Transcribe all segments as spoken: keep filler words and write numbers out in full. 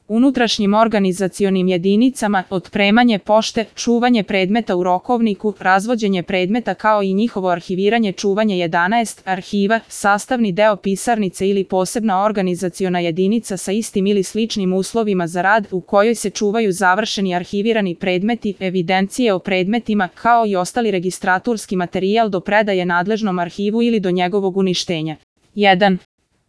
unutrašnjim organizacionim jedinicama, otpremanje pošte, čuvanje predmeta u rokovniku, razvođenje predmeta kao i njihovo arhiviranje, čuvanje jedanaest arhiva, sastavni deo pisarnice ili posebna organizaciona jedinica sa istim ili sličnim uslovima za rad u kojoj se čuvaju završeni arhivirani predmeti, evidencije o predmetima, kao i ostali registraturski materijal do predaje nadležnom arhivu ili do njegovog uništenja. jedan.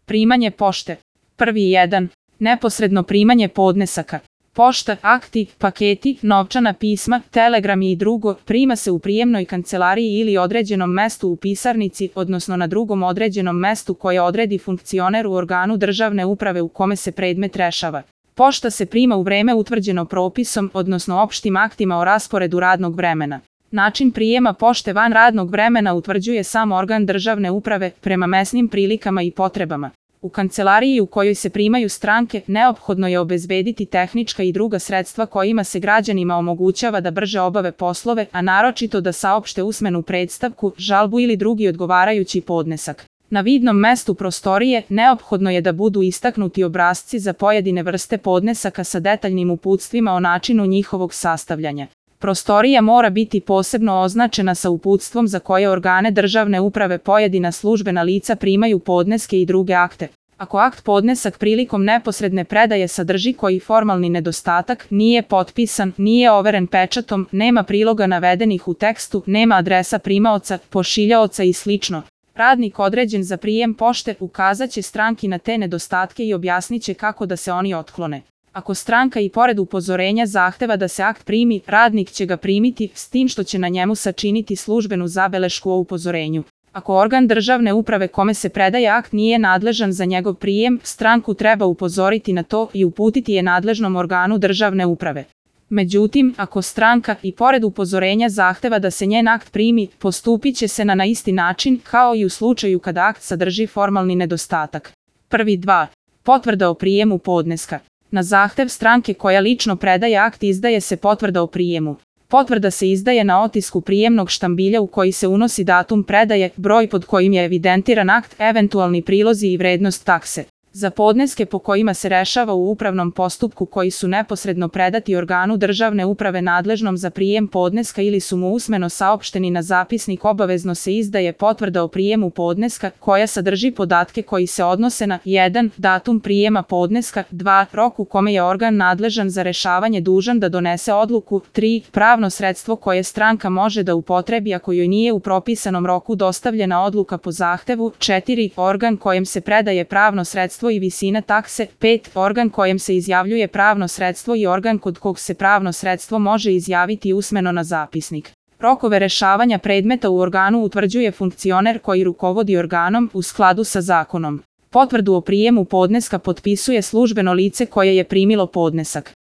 Primanje pošte. Prvi jedan. Neposredno primanje podnesaka. Pošta, akti, paketi, novčana pisma, telegrami i drugo prima se u prijemnoj kancelariji ili određenom mestu u pisarnici, odnosno na drugom određenom mestu koje odredi funkcioner u organu državne uprave u kome se predmet rešava. Pošta se prima u vreme utvrđeno propisom, odnosno opštim aktima o rasporedu radnog vremena. Način prijema pošte van radnog vremena utvrđuje sam organ državne uprave prema mesnim prilikama i potrebama. U kancelariji u kojoj se primaju stranke, neophodno je obezbediti tehnička i druga sredstva kojima se građanima omogućava da brže obave poslove, a naročito da saopšte usmenu predstavku, žalbu ili drugi odgovarajući podnesak. Na vidnom mestu prostorije neophodno je da budu istaknuti obrasci za pojedine vrste podnesaka sa detaljnim uputstvima o načinu njihovog sastavljanja. Prostorija mora biti posebno označena sa uputstvom za koje organe državne uprave pojedina službena lica primaju podneske i druge akte. Ako akt podnesak prilikom neposredne predaje sadrži koji formalni nedostatak, nije potpisan, nije overen pečatom, nema priloga navedenih u tekstu, nema adresa primaoca, pošiljaoca i slično. Radnik određen za prijem pošte ukazaće stranki na te nedostatke i objasniće kako da se oni otklone. Ako stranka i pored upozorenja zahteva da se akt primi, radnik će ga primiti, s tim što će na njemu sačiniti službenu zabelešku o upozorenju. Ako organ državne uprave kome se predaje akt nije nadležan za njegov prijem, stranku treba upozoriti na to i uputiti je nadležnom organu državne uprave. Međutim, ako stranka i pored upozorenja zahteva da se njen akt primi, postupit će se na na isti način kao i u slučaju kada akt sadrži formalni nedostatak. Prvi dva. Potvrda o prijemu podneska. Na zahtev stranke koja lično predaje akt izdaje se potvrda o prijemu. Potvrda se izdaje na otisku prijemnog štambilja u koji se unosi datum predaje, broj pod kojim je evidentiran akt, eventualni prilozi i vrednost takse. Za podneske po kojima se rešava u upravnom postupku koji su neposredno predati organu državne uprave nadležnom za prijem podneska ili su mu usmeno saopšteni na zapisnik, obavezno se izdaje potvrda o prijemu podneska koja sadrži podatke koji se odnose na jedan. Datum prijema podneska, dva. Rok u kome je organ nadležan za rešavanje dužan da donese odluku, tri. Pravno sredstvo koje stranka može da upotrebi ako joj nije u propisanom roku dostavljena odluka po zahtevu, četiri. Organ kojem se predaje pravno sredstvo i visina takse, pet. Organ kojem se izjavljuje pravno sredstvo i organ kod kog se pravno sredstvo može izjaviti usmeno na zapisnik. Rokove rešavanja predmeta u organu utvrđuje funkcioner koji rukovodi organom u skladu sa zakonom. Potvrdu o prijemu podneska potpisuje službeno lice koje je primilo podnesak.